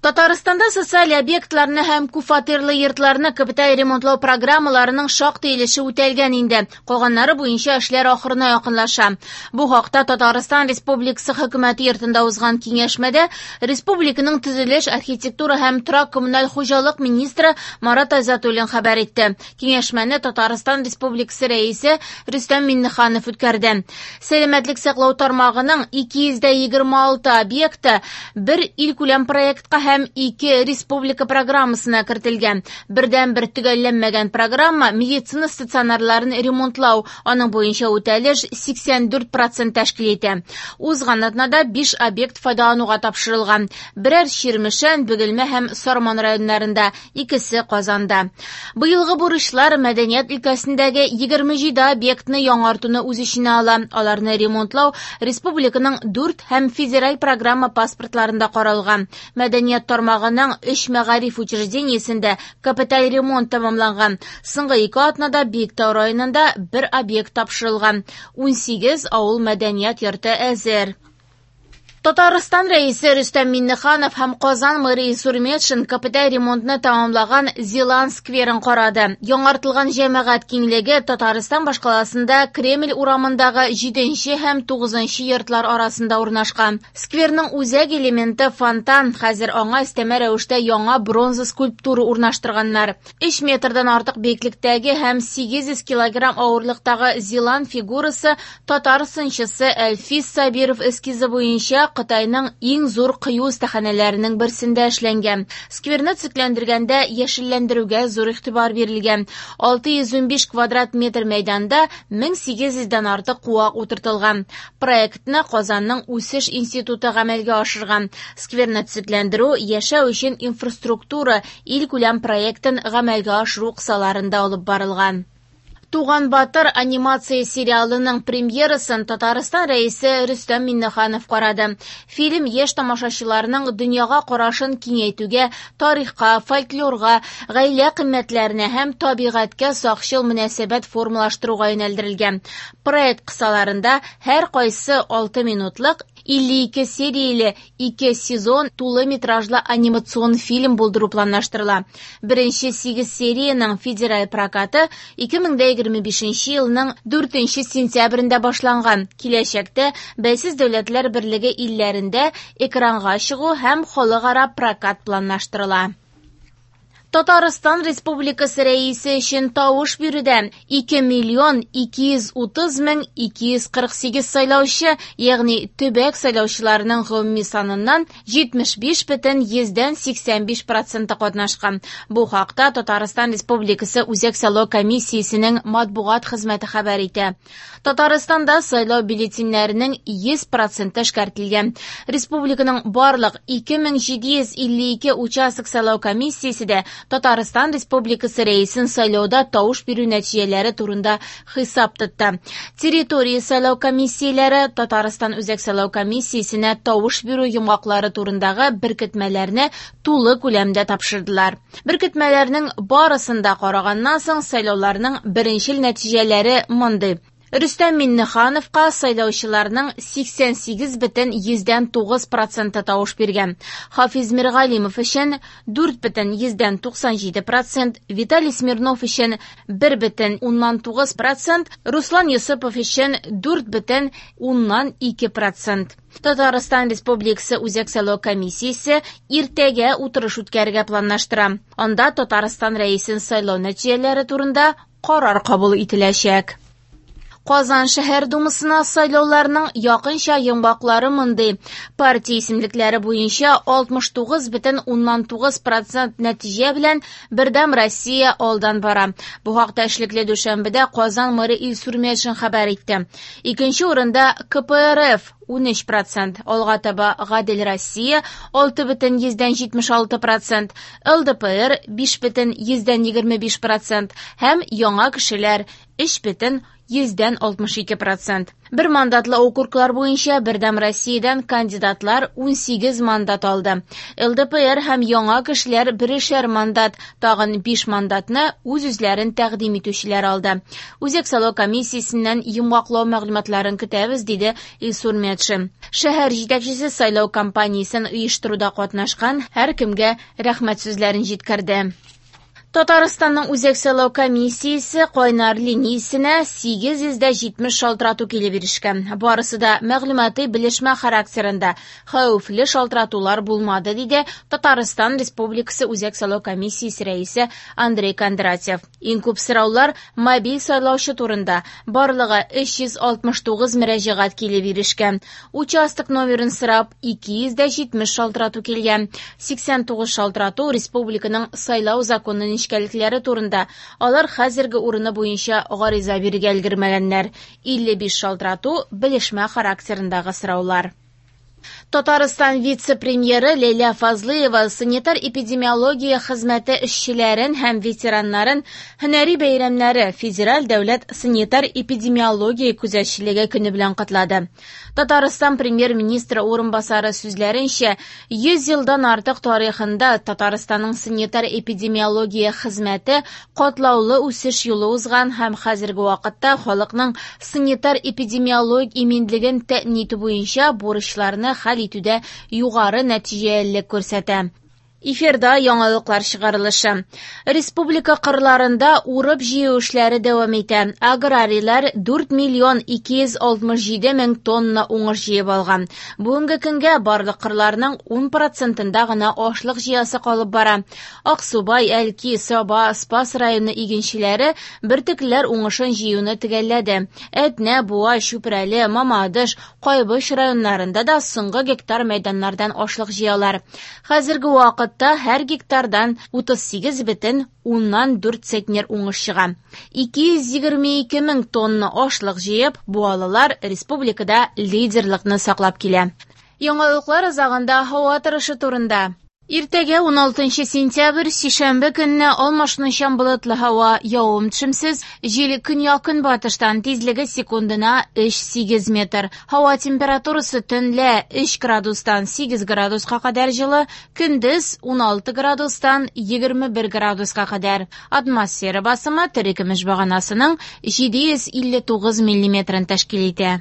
Татарстанда социаль объектларны һәм күпфатирлы йортларны капиталь ремонтлау программаларының шактый өлеше үтәлгән инде. Калганнары буенча эшләр ахырына якынлаша. Бу хакта Татарстан Республикасы Хөкүмәте йортында узган киңәшмәдә республиканың төзелеш, архитектура һәм торак-коммуналь хуҗалык министры Марат Айзатуллин хәбәр итте. Киңәшмәне Татарстан Республикасы Рәисе Рөстәм Миңнеханов үткәрде. Сәламәтлек саклау тармагының 226 объекты бер илкүләм проектка һәм 2 республика программасына кертелгән. Бердәнбер төгәлләнмәгән программа медицина стационарларын ремонтлау, аның буенча үтәлеш 84% тәшкил итә. Узган атнада 5 объект файдалануга тапшырылган. Берәр Чирмешән, Бөгелмә һәм Сарман районнарында, икесе Казанда. Быелгы бурычлар мәдәният өлкәсендәге 27 объектны яңартуны үз эченә ала. Аларны ремонтлау республиканың 4 һәм федераль программа паспортларында каралган. Мәдәният тармагының 3 мәгариф учреждениесендә капиталь ремонт тәмамланган. Соңгы 2 атнада Биектау районында бер объект тапшырылган. 18 авыл мәдәният йорты әзер. Татарстан Рәисе Рөстәм Миңнеханов һәм Казан мэры Илсур Метшин капиталь ремонтны тәмамлаган Зилан скверын карады. Яңартылган җәмәгать киңлеге Татарстан башкаласында Кремль урамындагы 7 һәм 9 йортлар арасында урнашкан. Скверның үзәк элементы фонтан, хәзер аңа өстәмә рәвештә яңа бронза скульптура урнаштырганнар. 3 метрдан артык биеклектәге һәм 800 килограмм авырлыктагы Зилан фигурасы татар сынчысы Әлфис Сабиров эскизы буенча Кытайның иң зур кыю остаханәләренең берсендә эшләнгән. Скверны төзекләндергәндә яшелләндерүгә зур игътибар бирелгән. 615 квадрат метр мәйданда 1800дән артык куак утыртылган. Проектны Казанның үсеш институты гамәлгә ашырган. Скверны төзекләндерү яшәү өчен инфраструктура илкүләм проектын гамәлгә ашыру кысаларында алып барылган. Туган Батыр анимация сериалының премьерасын Татарстан Рәисе Рөстәм Миңнеханов карады. Фильм яшь тамашачыларның дөньяга карашын киңәйтүгә, тарихка, фольклорга, гаилә кыйммәтләренә һәм табигатькә сакчыл мөнәсәбәт формалаштыруга юнәлдерелгән. Проект кысаларында һәр кайсы 6 минутлык 52 серияле 2 сезон тулы метражлы анимацион фильм булдыру планлаштырыла. Беренче 8 сериянең федераль прокаты 2025 елның 4 сентябрендә башланган. Киләчәктә Бәйсез Дәүләтләр Берлеге илләрендә экранга чыгу һәм халыкара прокат планлаштырыла. Татарстан Республикасы Рәисе өчен тавыш бирүдә 2 миллион 230 мең 248 сайлаучы, ягъни төбәк сайлаучыларының гомуми саныннан 75,85% катнашкан. Бу хакта Татарстан Республикасы Үзәк сайлау комиссиясенең матбугат хезмәте хәбәр итә. Татарстанда сайлау бюллетеньнәренең 100% эшкәртелгән. Республиканың барлык 2752 участок сайлау комиссиясе дә Татарстан Республикасы Рәисен сайлауда тавыш бирү нәтиҗәләре турында хисап тотты. Территория сайлау комиссияләре Татарстан Үзәк сайлау комиссиясенә тавыш бирү йомгаклары турындагы беркетмәләрне тулы күләмдә тапшырдылар. Беркетмәләрнең барысын да караганнан соң сайлауларның беренчел нәтиҗәләре мондый. Рөстәм Миңнехановка сайлаучыларның 88,9% тавыш биргән. Хафиз Миргалимов өчен 4,97%, Виталий Смирнов өчен 1,9%, Руслан Йосыпов өчен 4,2%. Татарстан Республикасы Үзәк сайлау комиссиясе иртәгә утырыш үткәрергә планлаштыра. Анда Татарстан Рәисен сайлау нәтиҗәләре турында карар кабул ителәчәк. Казан шәһәр думасына сайлауларның якынча йомгаклары мондый. Партия исемлекләре буенча 69,9% нәтиҗә белән Бердәм Россия алдан бара. Бу хакта эшлекле дүшәмбедә Казан мэры Илсур Метшин хәбәр итте. Икенче урында КПРФ 13%, алга таба Гадел Россия 6,76%, ЛДПР 5,25% һәм Яңа кешеләр 3,25%. 62 процент. Бер мандатлы округлар буенча Бердәм Россиядән кандидатлар 18 мандат алды. ЛДПР һәм яңа кешеләр берешәр мандат, тагын 5 мандатны үз-үзләрен тәкъдим итүчеләр алды. Үзәк сайлау комиссиясеннән йомгаклау мәгълүматларын көтәбез, диде Илсур Метшин. Шәһәр җитәкчесе сайлау кампаниясен оештыруда катнашкан һәркемгә рәхмәт сүзләрен җиткерде. Татарстанның Үзәк сайлау комиссиясе кайнар линиясенә 870 шалтырату килеп ирешкән. Барысы да мәгълүмати белешмә характерында. Хәвефле шалтыратулар булмады, диде Татарстан Республикасы Үзәк сайлау комиссиясе рәисе Андрей Кондратьев. Иң күп сораулар мобиль сайлаучы турында. Барлыгы 369 мөрәҗәгать килеп ирешкән. Участок номерын сорап 270 шалтырату килгән. 89 шалтырату республиканың сайлау законы нечкәлекләре турында. Алар хәзерге урыны буенча гариза бирергә өлгермәгәннәр. 55 шалтырату белешмә характерындагы сораулар. Татарстан вице-премьеры Ләйлә Фазлыева санитар-эпидемиология хезмәте эшчеләрен һәм ветераннарын һөнәри бәйрәмнәре Федераль дәүләт санитар-эпидемиология күзәтчелеге көне белән котлады. Татарстан премьер-министры урынбасары сүзләренчә, 100 елдан артык тарихында Татарстанның санитар-эпидемиология хезмәте катлаулы үсеш юлы узган һәм хәзерге вакытта халыкның санитар-эпидемиологик иминлеген тәэмин итү буенча бурычларны хәл итүдә югары нәтиҗәлелек күрсәтә. Эфирда яңалыклар чыгарылышы. Республика кырларында урып җыю эшләре дәвам итә. Аграрийлар 4 миллион 267 мең тонна уңыш җыеп алган. Бүгенге көнгә барлык кырларның 10 процентында гына ашлык җыясы калып бара. Аксубай, Әлки, Саба, Спас районы игенчеләре бөртеклеләр уңышын җыюны төгәлләде. Әтнә, Буа, Чүпрәле, Мамадыш, Кайбыч районнарында да соңгы гектар мәйданнардан ашлык җыялар. Хәзерге вакытта һәр гектардан 38,4 центнер уңыш чыга. 222 мең тонна ашлык җыеп, буалылар республикада лидерлыкны саклап килә. Яңалыклар азагында һава торышы турында. Иртәгә 16 сентябрь, сишәмбе көнне алмашынучан болытлы һава, явым-төшемсез, җил көньяк-көнбатыштан, тизлеге секундына 3-8 метр. Һава температурасы төнлә 3 градустан 8 градуска кадәр җылы, көндез 16 градустан 21 градуска кадәр. Атмосфера басымы терекөмеш баганасының 759 миллиметрын тәшкил итә.